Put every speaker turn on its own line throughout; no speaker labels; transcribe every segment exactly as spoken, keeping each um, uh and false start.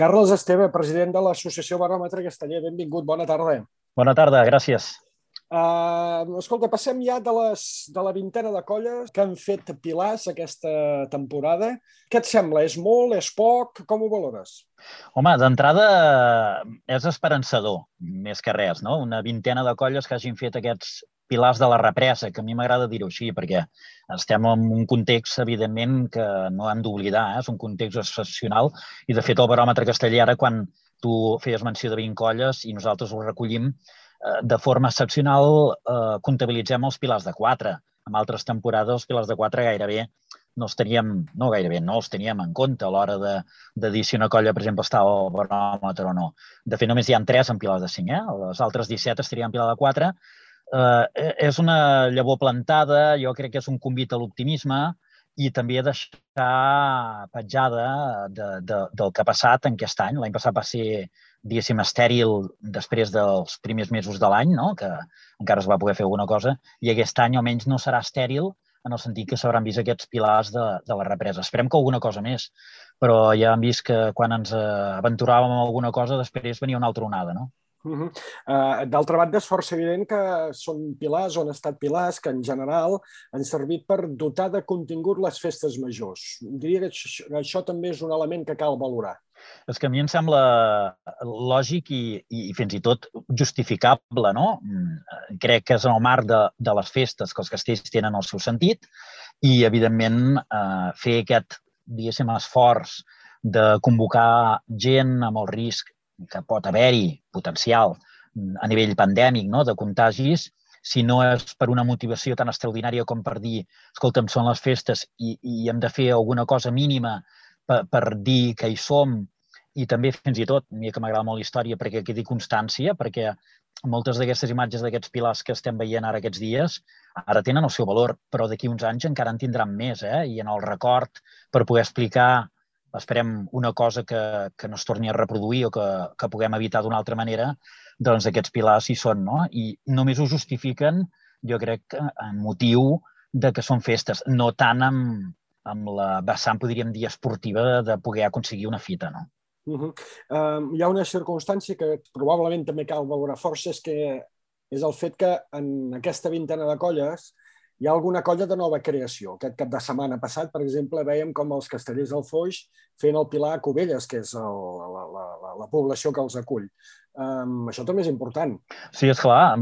Carles Esteve, president de l'Associació Baròmetre Casteller. Benvingut, bona tarda.
Bona tarda, gràcies.
Uh, escolta, passem ja de, les, de la vintena de colles que han fet pilars aquesta temporada. Què et sembla? És molt? És poc? Com ho valores?
Home, d'entrada és esperançador, més que res, no? Una vintena de colles que hagin fet aquests pilars de la represa, que a mi m'agrada dir-ho així, perquè estem en un context, evidentment, que no hem d'oblidar, eh? És un context excepcional, i de fet el baròmetre casteller, ara quan tu feies menció de vint colles i nosaltres ho recollim, de forma excepcional eh, comptabilitzem els pilars de quatre. En altres temporades els pilars de quatre gairebé no els teníem, no gairebé, no els teníem en compte a l'hora de, de dir si una colla, per exemple, està al baròmetre o no. De fet, només hi ha tres en pilars de cinc, eh? Les altres disset estarien en pilar de quatre. Eh, és una llavor plantada, jo crec que és un convit a l'optimisme i també a deixar petjada de, de, del que ha passat en aquest any. L'any passat va ser, diguéssim, estèril després dels primers mesos de l'any, no? Que encara es va poder fer alguna cosa, i aquest any almenys no serà estèril en el sentit que s'hauran vist aquests pilars de, de la represa. Esperem que alguna cosa més, però ja hem vist que quan ens aventuràvem en alguna cosa després venia una altra onada, no?
Uh -huh. uh, D'altra banda, és força evident que són pilars, o han estat pilars, que en general han servit per dotar de contingut les festes majors. Diria que això, això també és un element que cal valorar.
És que a mi em sembla lògic i, i fins i tot justificable, no? Crec que és en el marc de, de les festes que els castells tenen el seu sentit i, evidentment, eh, fer aquest, diguéssim, esforç de convocar gent amb el risc que pot haver-hi potencial a nivell pandèmic, no? De contagis, si no és per una motivació tan extraordinària com per dir, escolta'm, són les festes i, i hem de fer alguna cosa mínima per, per dir que hi som, i també fins i tot, a mi que m'agrada molt la història perquè quedi constància, perquè moltes d'aquestes imatges d'aquests pilars que estem veient ara aquests dies ara tenen el seu valor, però d'aquí uns anys encara en tindran més, eh? I en el record per poder explicar, esperem, una cosa que, que no es torni a reproduir o que, que puguem evitar d'una altra manera, doncs aquests pilars hi són, no? I només ho justifiquen, jo crec, en motiu de que són festes, no tant amb, amb la vessant, podríem dir, esportiva de poder aconseguir una fita, no?
Uh -huh. uh, hi ha una circumstància que probablement també cal valorar força, és que és el fet que en aquesta vintena de colles hi ha alguna colla de nova creació. Aquest cap de setmana passat, per exemple, veiem com els Castellers del Foix feien el pilar a Cubelles, que és el, la, la, la, la població que els acull. Um, això també és important.
Sí, esclar.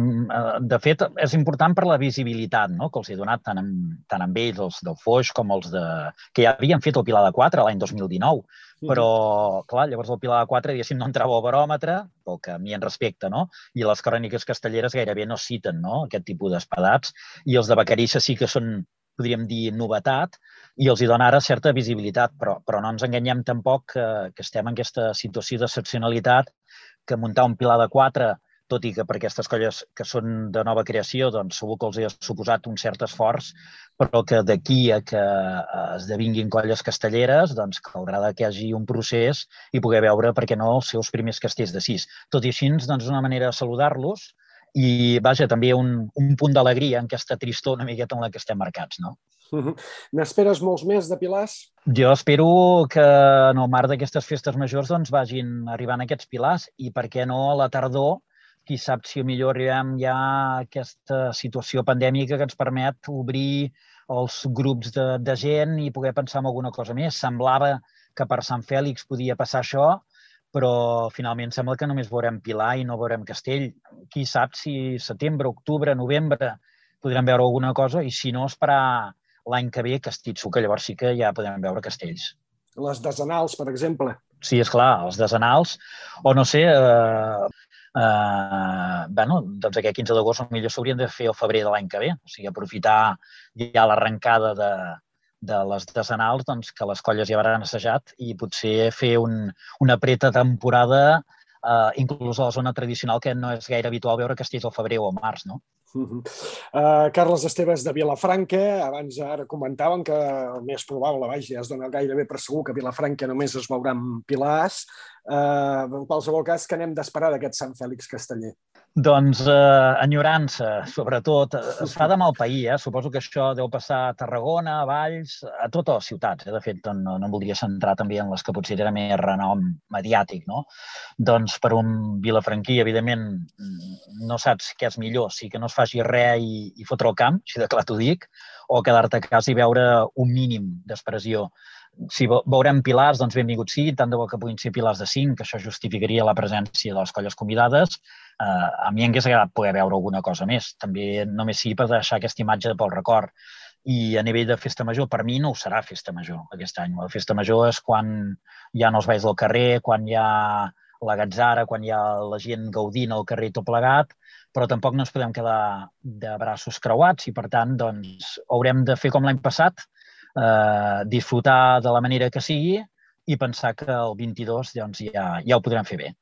De fet, és important per la visibilitat, no? Que els he donat tant amb, tant amb ells, els del Foix, com els de... que ja havien fet el pilar de quatre l'any dos mil dinou. Però, clar, llavors el pilar de quatre, diguéssim, no entrava al baròmetre, pel que a mi en respecte, no? I les cròniques castelleres gairebé no citen, no?, aquest tipus d'espadats. I els de Vacarissa sí que són, podríem dir, novetat, i els hi dona ara certa visibilitat, però, però no ens enganyem tampoc que, que estem en aquesta situació d'excepcionalitat, que muntar un pilar de quatre, tot i que per aquestes colles que són de nova creació, doncs segur que els ha suposat un cert esforç, però que d'aquí a que esdevinguin colles castelleres, doncs caldrà que hi hagi un procés i poder veure, per què no, els seus primers castells de sis. Tot i així, doncs, una manera de saludar-los i, vaja, també un, un punt d'alegria en aquesta tristor una miqueta en la que estem marcats, no?
Uh-huh. N'esperes molts més de pilars?
Jo espero que en el marc d'aquestes festes majors doncs, vagin arribant aquests pilars i, per què no, a la tardor, qui sap si millor arribem ja a aquesta situació pandèmica que ens permet obrir els grups de, de gent i poder pensar en alguna cosa més. Semblava que per Sant Fèlix podia passar això, però finalment sembla que només veurem pilar i no veurem castell. Qui sap si setembre, octubre, novembre podrem veure alguna cosa i, si no, esperar l'any que ve Castitxo, que llavors sí que ja podem veure castells.
Les desenals, per exemple.
Sí, esclar, els desenals, o no sé, eh, eh, bueno, doncs aquest quinze d'agost potser s'haurien de fer el febrer de l'any que ve, o sigui, aprofitar ja l'arrencada de, de les desenals, doncs que les colles ja hauran assajat i potser fer un, una preta temporada, eh, inclús a la zona tradicional, que no és gaire habitual veure castells al febrer o al març, no?
Uh -huh. uh, Carles Esteves de Vilafranca, abans ara comentàvem que el més probable, vaja, ja es dona gairebé per segur que a Vilafranca només es veuran pilars. En qualsevol cas, què n'hem d'esperar d'aquest Sant Fèlix Casteller?
Doncs eh, enyorança, sobretot. Es fa de mal pair, eh? Suposo que això deu passar a Tarragona, a Valls, a totes les ciutats. Eh? De fet, no, no em voldria centrar també en les que potser tenen més renom mediàtic, no? Doncs per un vilafranquí, evidentment, no saps què és millor, si que no es faci res i, i fotre el camp, així de clar t'ho dic, o quedar-te a casa i veure un mínim d'expressió. Si veurem pilars, doncs benvingut sigui, tant de bo que puguin ser pilars de cinc, que això justificaria la presència de les colles convidades. Uh, a mi em hauria agradat poder veure alguna cosa més, també només sigui per deixar aquesta imatge pel record. I a nivell de festa major, per mi no ho serà festa major aquest any. La festa major és quan hi ha els balls del carrer, quan hi ha la gatzara, quan hi ha la gent gaudint al carrer tot plegat, però tampoc no ens podem quedar de braços creuats i, per tant, doncs, haurem de fer com l'any passat, eh, disfrutar de la manera que sigui i pensar que el vint-i-dos doncs, ja, ja ho podrem fer bé.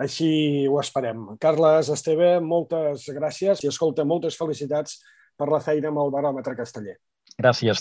Així ho esperem. Carles, Esteve, moltes gràcies i, escolta, moltes felicitats per la feina amb el baròmetre casteller.
Gràcies.